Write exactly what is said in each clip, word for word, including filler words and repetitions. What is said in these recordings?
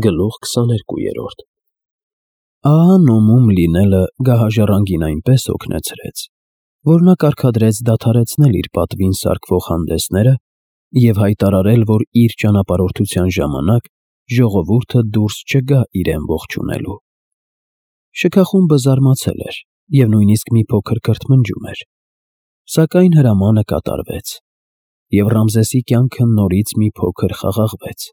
Գլուխ քսաներկու։ Ահա Նոմում լինելը գահաժառանգին այնպես օգնեցրեց, որ նա կարգադրեց դադարեցնել իր պատվին սարքվող հանդեսները և հայտարարել, որ իր ճանապարհորդության ժամանակ ժողովուրդը դուրս չգա իրեն ողջունելու։ Շքախումբը զարմացել էր և նույնիսկ մի փոքր կրթմնջում էր, սակայն հրամանը կատարվեց, և Ռամզեսի կյանքը նորից մի փոքր խաղաղվեց։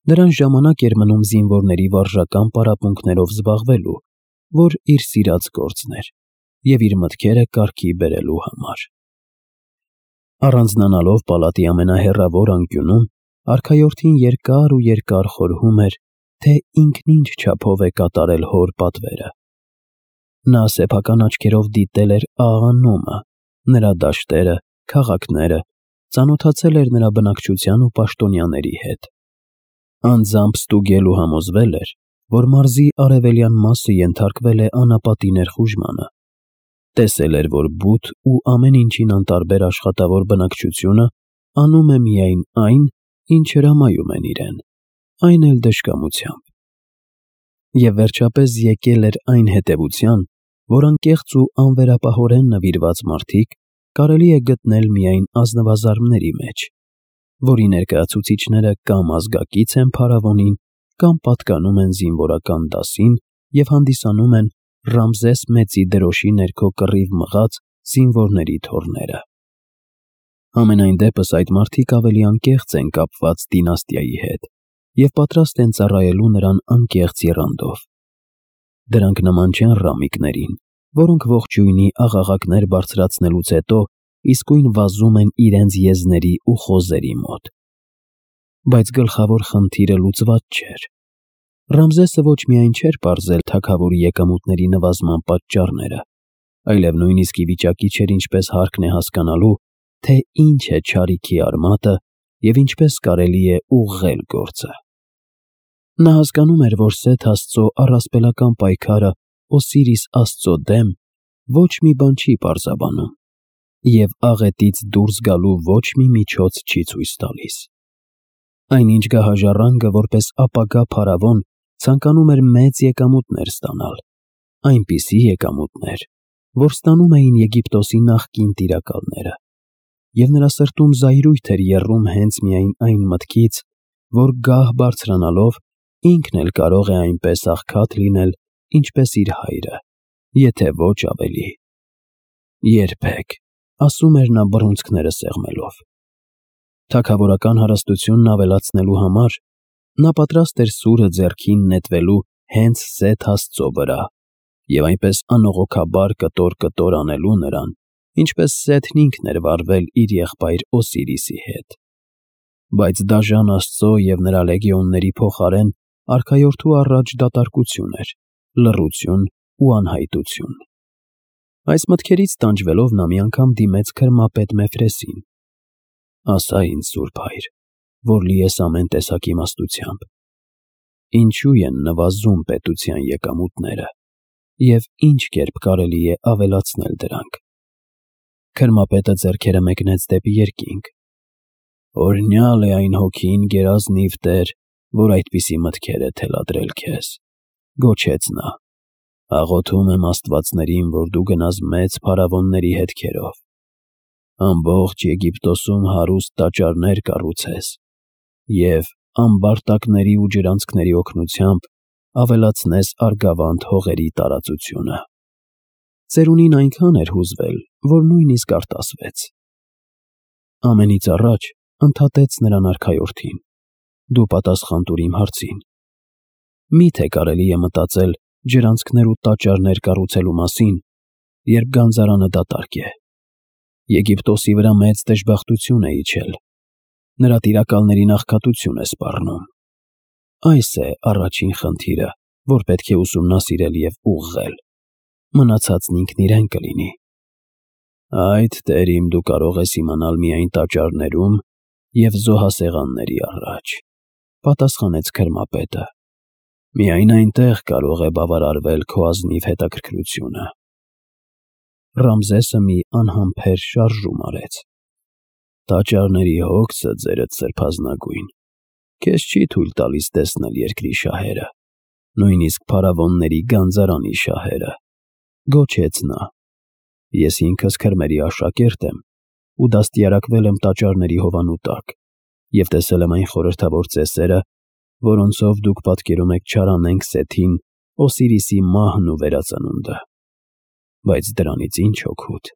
Նրան ժամանակ էր մնում զինվորների վարժական պարապմունքներով զբաղվելու, որ իր սիրած գործն էր, և իր մտքերը կարգի բերելու համար։ Առանձնանալով պալատի ամենահեռավոր անկյունում, արքայորդին երկար ու երկար խորհում էր, թե ինքն ինչ չափով է կատարել հոր պատվերը։ Նա սեփական աչքերով դիտել էր աղա Նոմը, նրա դաշտերը, քաղաքները, ծանոթացել էր նրա բնակչության ու պաշտոնյաների հետ։ Անձամբ ստուգել ու համոզվել էր, որ մարզի արևելյան մասը ենթարկվել է անապատի ներխուժմանը։ Տեսել էր, որ բութ ու ամեն ինչին անտարբեր աշխատավոր բնակչությունը անում է միայն այն, ինչ հրամայում են իրեն, այն էլ դժկամությամբ։ Եվ վերջապես եկել էր այն հետևության, որ անկեղծ ու անվերապահորեն նվիրված մարդիկ կարելի է գտնել միայն ազնվազարդների մեջ, որի ներկայացուցիչները կամ ազգակից են փարավոնին, կամ պատկանում են զինվորական դասին և հանդիսանում են Ռամզես Մեծի դրոշի ներքո կռիվ մղած զինվորների թոռները։ Համենայն դեպս այդ մարդիկ ավելի անկեղծ են կապված դինաստիայի հետ և պատրաստ են ծառայելու նրան անկեղծ եռանդով։ Դրանք նման չեն ռամիկներին, որոնք ողջույնի աղաղակներ բարձրացնելուց հետո իսկույն վազում են իրենց եզների ու խոզերի մոտ։ Բայց գլխավոր խնդիրը լուծված չէր։ Ռամզեսը ոչ միայն չէր պարզել թագավորի եկամուտների նվազման պատճառները, այլև նույնիսկ ի վիճակի չէր ինչպես հարկն է հասկանալու, թե ինչ է չարիքի արմատը և ինչպես կարելի է ուղղել գործը։ Նա հասկանում էր, որ Սեթ աստծո առասպելական պայքարը Օսիրիս աստծո դեմ ոչ մի բան չի պարզաբանում և աղետից դուրս գալու ոչ մի միջոց չի ցույց տալիս։ Այնինչ գահաժառանգը որպես ապագա փարավոն ցանկանում էր մեծ եկամուտներ ստանալ, այնպիսի եկամուտներ, որ ստանում էին Եգիպտոսի նախկին տիրակալները, և նրա սրտում զայրույթ էր եռում հենց միայն այն մտքից, որ գահ բարձրանալով ինքն էլ կարող է այնպես աղքատ լինել, ինչպես իր հայրը, եթե ոչ ավելի։ Երբեք, ասում էր նա բռունցքները սեղմելով։ Թագավորական հարստությունն ավելացնելու համար նա պատրաստ էր սուրը ձեռքին նետվելու հենց Սեթ աստծո վրա և այնպես անողոքաբար կտոր-կտոր անելու նրան, ինչպես Սեթն ինքն էր վարվել իր եղբայր Օսիրիսի հետ։ Բայց դաժան աստծո և նրա լեգիոնների փոխարեն արքայորդու առաջ դատարկություն էր, լռություն ու անհայտություն։ Այս մտքերից տանջվելով նա մի անգամ դիմեց քրմապետ Մեֆրեսին. «Ասա ինձ, սուրբ հայր, որ լի ես ամեն տեսակ իմաստությամբ, ինչո՞ւ են նվազում պետության եկամուտները և ինչ կերպ կարելի է ավելացնել դրանք»։ Քրմապետը ձեռքերը մեկնեց դեպի երկինք. «Օրհնյալ է այն հոգին, գերազնիվ Տեր, որ այդպիսի մտքեր է թելադրել քեզ», գոչեց նա։ «Աղոթում եմ աստվածներին, որ դու գնաս մեծ փարավոնների հետքերով, ամբողջ Եգիպտոսում հարուստ տաճարներ կառուցես և ամբարտակների ու ջրանցքների օգնությամբ ավելացնես Արգավանդ հողերի տարածությունը»։ Ծերունին այնքան էր հուզվել, որ նույնիսկ արտասվեց։ Ամենից առաջ ընդհատեց նրան արքայորդին. «Դու պատասխան տուր իմ հարցին. մի՞թե կարելի է մտածել ջրանցքներ ու տաճարներ կառուցելու մասին, երբ գանձարանը դատարկ է։ Եգիպտոսի վրա մեծ դժբախտություն է իջել, նրա տիրակալներին աղքատություն է սպառնում։ Այս է առաջին խնդիրը, որ պետք է ուսումնասիրել և ուղղել, մնացածն ինքն իրեն կլինի»։ «Այդ, Տեր իմ, դու կարող ես իմանալ միայն տաճարներում և զոհասեղանների առաջ», պատասխանեց քրմապետը։ «Միայն այնտեղ կարող է բավարարվել քո ազնիվ հետաքրքրությունը»։ Ռամզեսը մի անհամբեր շարժում արեց. «Տաճարների հոգսը, ձերդ սրբազնագույն, Քեզ չի թույլ տալիս տեսնել երկրի շահերը, նույնիսկ փարավոնների գանձարանի շահերը, գոչեց նա։ Ես ինքս քրմերի աշակերտ եմ ու դաստիարակվել եմ տաճարների հովանու տակ և տեսել եմ այն խորհրդավոր ծեսերը, որոնցով դուք պատկերում եք չարանենգ Սեթին, Օսիրիսի մահն ու վերածնունդը։ Բայց դրանից ինչ օգուտ։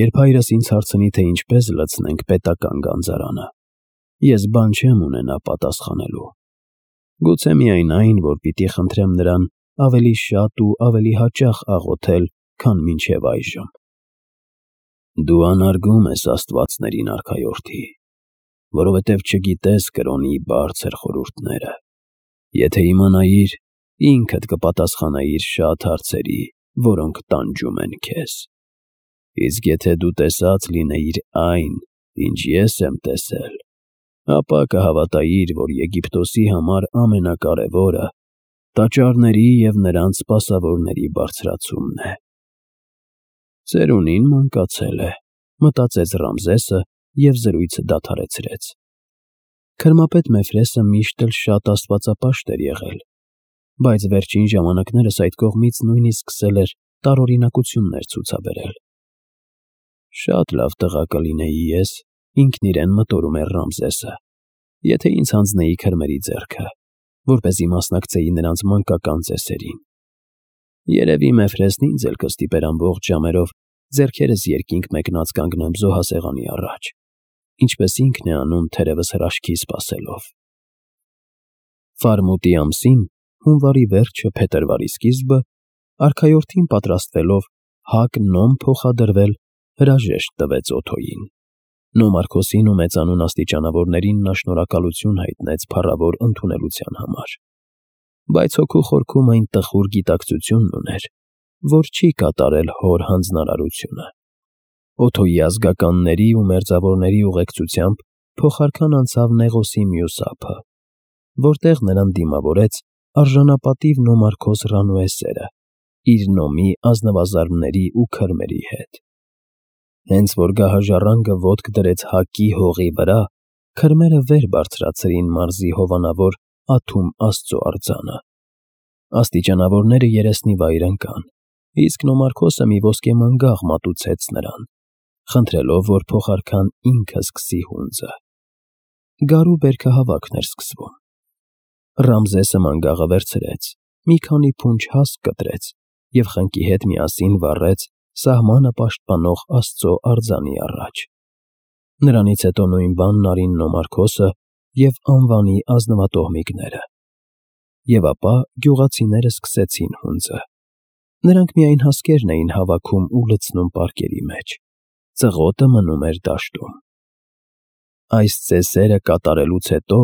Երբ հայրս ինձ հարցնի, թե ինչպես լցնենք պետական գանձարանը, ես բան չեմ ունենա պատասխանելու։ Գուցե միայն այն, որ պիտի խնդրեմ նրան ավելի շատ ու ավելի հաճախ աղոթել, քան մինչև այժմ։ Դու անարգում ես աստվածներին, արքայորդի, որովհետև չգիտես կրոնի բարձր խորհուրդները։ Եթե իմանայիր, ինքդ կպատասխանայիր շատ հարցերի, որոնք տանջում են քեզ։ Իսկ եթե դու տեսած լինեիր այն, ինչ ես եմ տեսել, ապա կհավատայիր, որ Եգիպտոսի համար ամենակարևորը տաճարների և նրանց սպասավորների բարձրացումն է։ Ծերունին մանկացել է, մտածեց Ռամզեսը և զրույցը դադարեցրեց։ Քրմապետ Մեֆրեսը միշտ էլ շատ աստվածապաշտ էր եղել, բայց վերջին ժամանակներս այդ կողմից նույնիսկ սկսել էր տարօրինակություններ ցուցաբերել։ Շատ լավ տղա կլինեի ես, ինքն իրեն մտորում էր Ռամզեսը, եթե ինձ հանձնեի քրմերի ձեռքը, որպեսզի մասնակցեի նրանց մանկական ծեսերին։ Երևի Մեֆրեսն ինձ էլ կստիպեր ամբողջ ժամերով ձեռքերս երկինք մեկնած կանգնեմ զոհասեղանի առաջ, ինչպես ինքն է անում թերևս հրաշքի սպասելով։ Ֆարմուտի ամսին, հունվարի վերջը, փետրվարի սկիզբը, արքայորդին պատրաստվելով հակ նոմ փոխադրվել, հրաժեշտ տվեց Օթոյին։ Նոմարքոսին ու մեծանուն աստիճանավորներին նա շնորհակալություն հայտնեց փառավոր ընդունելության համար, բայց հոգու խորքում այն տխուր գիտակցությունն ուներ, որ չի կատարել հոր հանձնարարությունը։ Օթոյի ազգականների ու մերձավորների ուղեկցությամբ փոխարքան անցավ Նեղոսի մյուս ափը, որտեղ նրան դիմավորեց արժանապատիվ Նոմարքոս Ռանուեսերը իր նոմի ազնվազարդների ու քրմերի հետ։ Հենց որ գահաժառանգը ոտք դրեց Հակի հողի վրա, քրմերը վեր բարձրացրին մարզի հովանավոր Աթում Աստծո արձանը։ Աստիճանավորները երեսնի վայր ընկան, իսկ Նոմարքոսը մի ոսկե մանգաղ մատուցեց նրան, խնդրելով, որ փոխարքան ինքը սկսի հունձը։ Գարու բերքահավաքն էր սկսվում։ Ռամզեսը մանգաղը վերցրեց, մի քանի փունջ հասկ կտրեց և խնկի հետ միասին վառեց սահմանը պաշտպանող Աստծո արձանի առաջ։ Նրանից հետո նույն բանն արին Նոմարքոսը և անվանի ազնվատոհմիկները։ Եվ ապա գյուղացիները սկսեցին հունձը։ Նրանք միայն հասկերն էին հավաքում ու լցնում պարկերի մեջ, ծղոտը մնում էր դաշտում։ Այս ծեսերը կատարելուց հետո,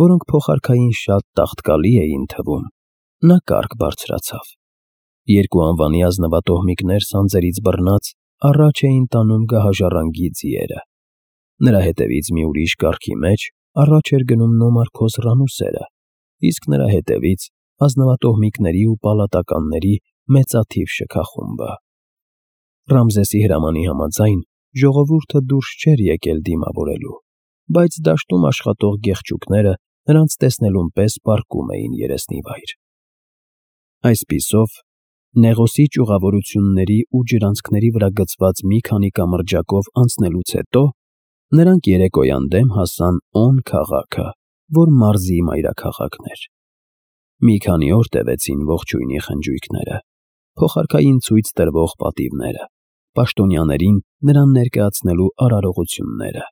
որոնք փոխարքային շատ տաղտկալի էին թվում, նա կարգ բարձրացավ։ Երկու անվանի ազնվատոհմիկներ սանձերից բռնած առաջ էին տանում գահաժառանգի ձիերը։ Նրա հետևից մի ուրիշ կարգի մեջ առաջ էր գնում Նոմարքոս Ռանուսերը, իսկ նրա հետևից ազնվատոհմիկների ու պալատականների մեծաթիվ շքախումբը։ Ռամզեսի հրամանի համաձայն ժողովուրդը դուրս չէր եկել դիմավորելու, բայց դաշտում աշխատող գեղչուկները նրանց տեսնելուն պես պառկում էին երեսնի վայր։ Այսպիսով, Նեղոսի ճյուղավորությունների ու ջրանցքների վրա գծված մի քանի կամրջակով անցնելուց հետո նրանք երեկոյան դեմ հասան On քաղաքը, որ մարզի մայրաքաղաքն էր։ Մի քանի օր տևեցին ողջույնի խնջույքները, փոխարքային ցույց տրվող պատիվները, պաշտոնյաներին նրան ներկայացնելու արարողությունները։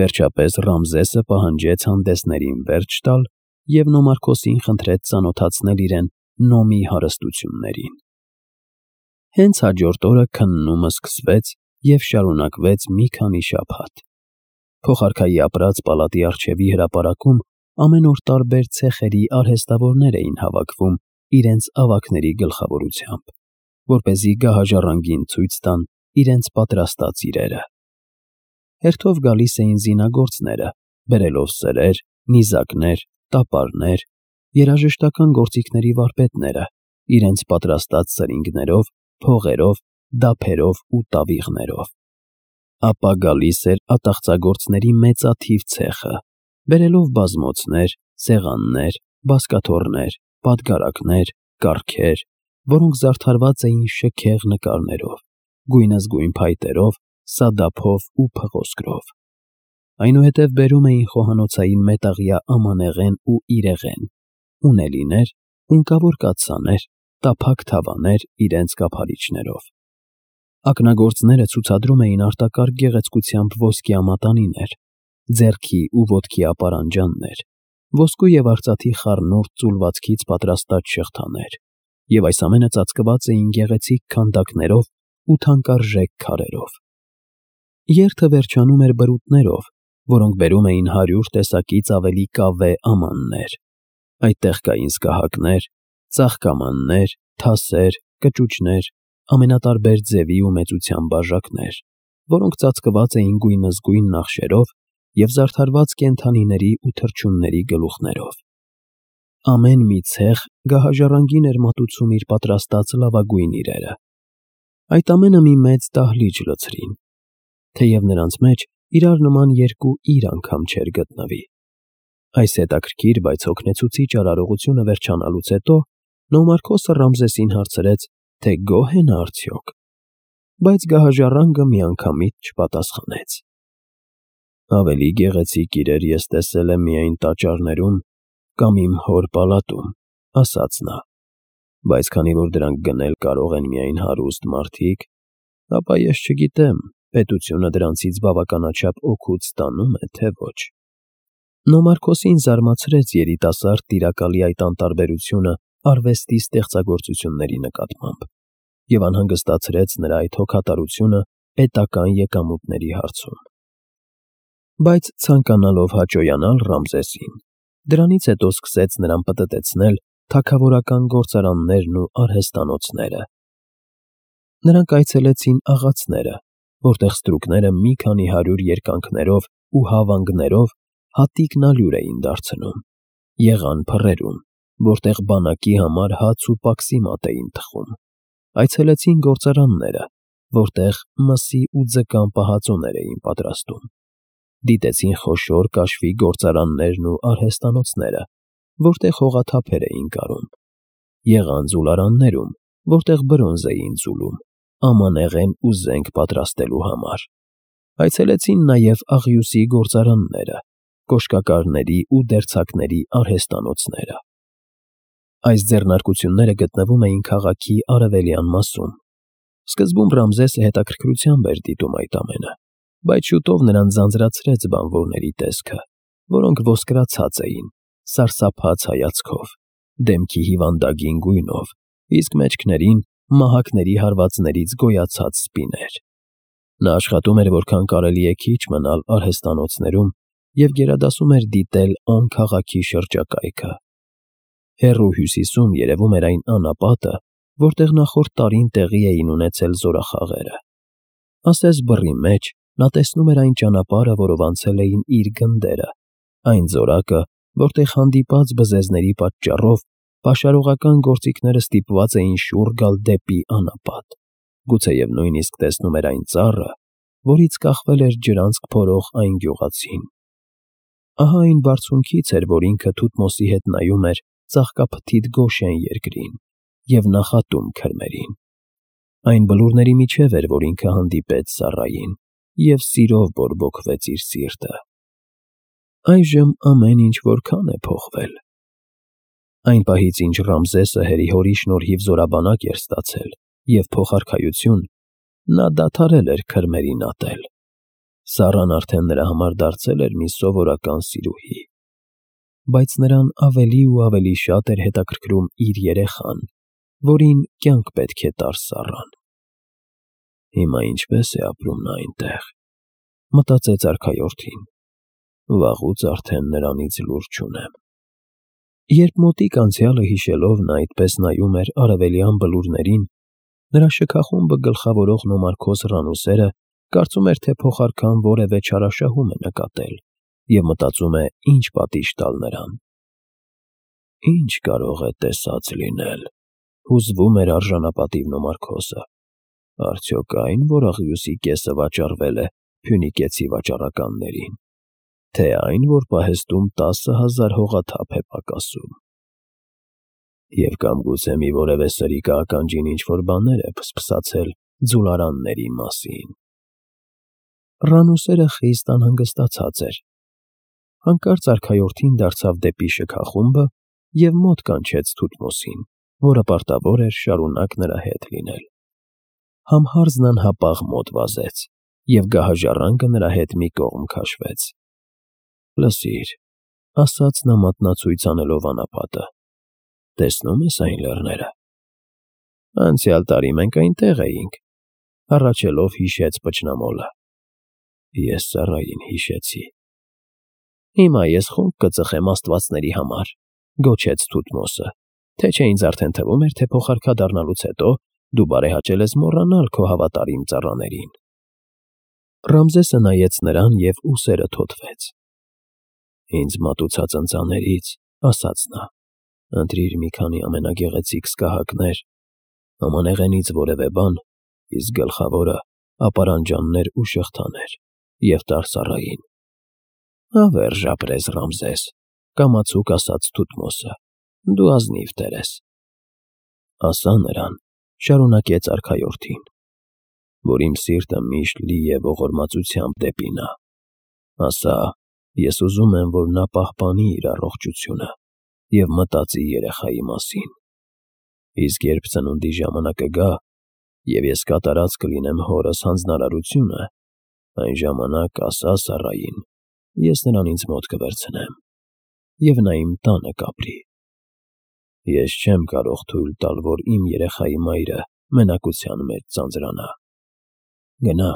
Վերջապես Ռամզեսը պահանջեց հանդեսներին վերջ տալ և Նոմարքոսին խնդրեց ծանոթացնել իրեն նոմի հարստություններին։ Հենց հաջորդ օրը քննումը սկսվեց և շարունակվեց մի քանի շաբաթ։ Փոխարքայի ապրած պալատի առջևի հրապարակում ամեն օր տարբեր ցեխերի արհեստավորներ էին հավաքվում իրենց ավագների գլխավորությամբ, որպեսզի գահաժառանգին ցույց տան իրենց պատրաստած իրերը։ Հերթով գալիս էին զինագործները, բերելով սրեր, նիզակներ, տապարներ, երաժշտական գործիքների վարպետները, իրենց պատրաստած սրինգներով, փողերով, դափերով ու տավիղներով։ Ապա գալիս էր ատաղծագործների մեծաթիվ ցեխը, բերելով բազմոցներ, սեղաններ, բազկաթոռներ, պատգարակներ, կառքեր, որոնք զարդարված էին շքեղ նկարներով, գույնզգույն փայտերով, սադափով ու փղոսկրով։ Այնուհետև բերում էին խոհանոցային մետաղյա ամանեղեն ու իրեղեն, ունելիներ, ունկավոր կաթսաներ, տափակ թավաներ իրենց կափարիչներով։ Ակնագործները ցուցադրում էին արտակարգ գեղեցկությամբ ոսկյա մատանիներ, ձեռքի ու ոտքի ապարանջաններ, ոսկու և արծաթի խառնուրդ ծուլվածքից պատրաստած շղթաներ, և այս ամենը ծածկված էին գեղեցիկ քանդակներով ու թանկարժեք քարերով։ Երթը վերջանում էր բրուտներով, որոնք բերում էին հարյուր տեսակից ավելի կավե ամաններ։ Այդտեղ կային սկահակներ, ծաղկամաններ, թասեր, կճուճներ, ամենատարբեր ձևի ու մեծության բաժակներ, որոնք ծածկված էին գույնզգույն նախշերով և զարդարված կենդանիների ու թռչունների գլուխներով։ Ամեն մի ցեղ գահաժառանգին էր մատուցում իր պատրաստած լավագույն իրերը։ Այդ ամենը մի մեծ դահլիճ լցրին, թեև նրանց մեջ իրար նման երկու իր անգամ չէր գտնվի։ Այս հետաքրքիր, բայց հոգնեցուցիչ արարողությունը վերջանալուց հետո Նոմարքոսը Ռամզեսին հարցրեց, թե գոհ է նա արդյոք, բայց գահաժառանգը միանգամից չպատասխանեց։ Ավելի գեղեցիկ իրեր ես տեսել եմ միայն տաճարներում կամ իմ հոր պալատում, ասաց նա, բայց քանի որ դրանք գնել կարող են միայն հարուստ մարդիկ, ապա ես չգիտեմ, պետությունը դրանցից բավականաչափ օգուտ ստանում է, թե ոչ։ Նոմարքոսին զարմացրեց երիտասարդ տիրակալի այդ անտարբերությունը արվեստի ստեղծագործությունների նկատմամբ և անհանգստացրեց նրա այդ հոգատարությունը պետական եկամուտների հարցում։ Բայց ցանկանալով հաճոյանալ Ռամզեսին, դրանից հետո սկսեց նրան պտտեցնել թագավորական գործարաններն ու արհեստանոցները։ Նրանք այցելեցին աղացները, որտեղ ստրուկները մի քանի հարյուր երկայնքներով ու հավանգներով հատիկնալյուր էին դարձնում, եղան փռերում, որտեղ բանակի համար հաց ու պաքսիմատ էին թխում, այցելեցին գործարանները, որտեղ մսի ու ձկան պահածոներ էին պատրաստում, դիտեցին խոշոր կաշվի գործարաններն ու արհեստանոցները, որտեղ հողաթափեր էին կարում, եղան ձուլարաններում, որտեղ բրոնզ էին ձուլում, ամանեղեն ու զենք պատրաստելու համար, այցելեցին նաև աղյուսի գործարանները, կոշկակարների ու դերձակների արհեստանոցները։ Այս ձեռնարկությունները գտնվում էին քաղաքի արևելյան մասում։ Սկզբում Ռամզեսը հետաքրքրությամբ էր դիտում այդ ամենը, բայց շուտով նրան ձանձրացրեց բանվորների տեսքը, որոնք ոսկրացած էին, սարսափած հայացքով, դեմքի հիվանդագին գույնով, իսկ մեջքներին մահակների հարվածներից գոյացած սպիներ։ Նա աշխատում էր որքան կարելի է քիչ մնալ արհեստանոցներում և գերադասում էր դիտել անքաղաքի շրջակայքը։ Հեռու հյուսիսում երևում էր այն անապատը, որտեղ նախորդ տարին տեղի էին ունեցել զորախաղերը։ Ասես բռի մեջ նա տեսնում էր այն ճանապարհը, որով անցել էին իր գնդերը, այն զորակը, որտեղ հանդիպած բզեզների պատճառով պաշարողական գործիքները ստիպված էին շուռ գալ դեպի անապատ, գուցեև նույնիսկ տեսնում էր այն ծառը, որից կախվել էր ջրանցք փորող այն գյուղացին։ Ահա այն բարձունքից էր, որ ինքը Թութմոսի հետ նայում էր ծաղկափթիթ Գոշեն երկրին և նախատում քրմերին։ Այն բլուրների միջև էր, որ ինքը հանդիպեց Սառային և սիրով բորբոքվեց իր սիրտը։ Այժմ ամեն ինչ որքան է փոխվել։ Այն պահից, ինչ Ռամզեսը հերի-հորի շնորհիվ զորաբանակ էր ստացել և փոխարքայություն, նա դադարել էր քրմերին ատել։ Սառան արդեն նրա համար դարձել էր մի սովորական սիրուհի։ Բայց նրան ավելի ու ավելի շատ էր հետաքրքրում իր երեխան, որին կյանք պետք է տար Սառան։ Հիմա ինչպե՞ս է ապրում նա այնտեղ, մտածեց արքայորդին, վաղուց արդեն նրանից լուր չունեմ։ Երբ մոտիկ անցյալը հիշելով նա այդպես նայում էր արևելյան բլուրներին, նրա շքախումբը գլխավորող Նոմարքոս Ռանուսերը կարծում էր, թե փոխարքան որևէ չարաշահում է նկատել և մտածում է ինչ պատիժ տալ նրան։ Ինչ կարող է տեսած լինել, հուզվում էր արժանապատիվ Նոմարքոսը, արդյոք այն, որ աղյուսի կեսը վաճառվել է փյունիկեցի վաճառականներին, թե այն, որ պահեստում տասը հազար հողաթափ է պակասում։ Եվ կամ գուցե մի որևէ սրիկա ականջին ինչ-որ բաներ է փսփսացել ձուլարանների մասին։ Ռանուսերը խիստ անհանգստացած էր։ Հանկարծ արքայորդին դարձավ դեպի շքախումբը և մոտ կանչեց Թութմոսին, որը պարտավոր էր շարունակ նրա հետ լինել։ Համհարձն անհապաղ մոտ վազեց, և գահաժառանգը նրա հետ մի կողմ քաշվեց։ ֊ Լսիր, ֊ ասաց նա մատնացույց անելով անապատը, ֊ տեսնո՞ւմ ես այն լեռները։ ֊ Անցյալ տարի մենք այնտեղ էինք, ֊ հառաչելով հիշեց պճնամոլը։ ֊ Ես ծառային հիշեցի։ ֊ Հիմա ես խունկ կծխեմ աստվածների համար, ֊ գոչեց Թութմոսը, թե չէ ինձ արդեն թվում էր, թե փոխարքա դառնալուց հետո դու բարեհաճել ես մոռանալ քո հավատարիմ ծառաներին։ Ռամզեսը նայեց նրան և ուսերը թոթվեց։ ֊ Ինձ մատուցած ընծաներից, ֊ ասաց նա, ֊ ընտրիր մի քանի ամենագեղեցիկ սկահակներ, ամանեղենից որևէ բան, իսկ գլխավորը ապարանջաններ ու շղթաներ, և տար ծառային։ ֊ Հավերժ ապրես, Ռամզես, ֊ կամացուկ ասաց Թութմոսը, ֊ դու ազնիվ տեր ես։ ֊ Ասա նրան, ֊ շարունակեց արքայորդին, ֊ որ իմ սիրտը միշտ լի է ողորմածությամբ դեպի նա։ Ասա, ես ուզում եմ, որ նա պահպանի իր առողջությունը և մտածի երեխայի մասին։ Իսկ երբ ծնունդի ժամանակը գա, և ես կատարած կլինեմ հորս հանձնարարությունը, այն ժամանակ ասա Սառային, ես նրան ինձ մոտ կվերցնեմ, և նա իմ տանը կապրի։ Ես չեմ կարող թույլ տալ, որ իմ երեխայի մայրը մենակության մեջ ձանձրանա։ Գնա,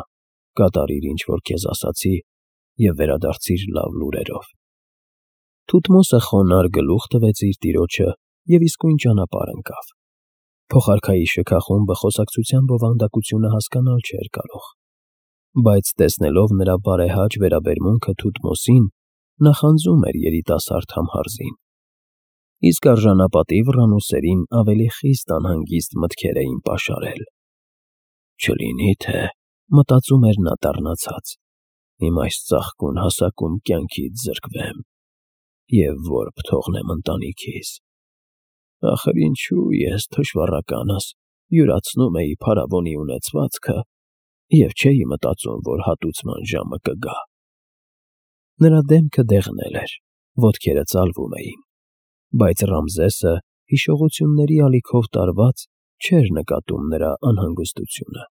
կատարիր, ինչ որ քեզ ասացի, և վերադարձիր լավ լուրերով։ Թութմոսը խոնարհ գլուխ տվեց իր տիրոջը և իսկույն ճանապարհ ընկավ։ Փոխարքայի շքախումբը խոսակցության բովանդակությունը հասկանալ չէր կարող, բայց տեսնելով նրա բարեհաճ վերաբերմունքը Թութմոսին, նախանձում էր երիտասարդ Համհարզին։ Իսկ արժանապատիվ Ռանուսերին ավելի խիստ անհանգիստ մտքեր էին պաշարել։ «Չլինի՞ թե, ֊ մտածում էր նա դառնացած, ֊ իմ այս ծաղկուն հասակում կյանքից զրկվեմ և որբ թողնեմ ընտանիքիս։ Ախր ինչո՞ւ ես, թշվառականս, յուրացնում էի փարավոնի ունեցվածքը և չէի մտածում, որ հատուցման ժամը կգա»։ Նրա դեմքը դեղնել էր, ոտքերը ծալվում էին, բայց Ռամզեսը, հիշողությունների ալիքով տարված, չէր նկատում նրա անհանգստությունը։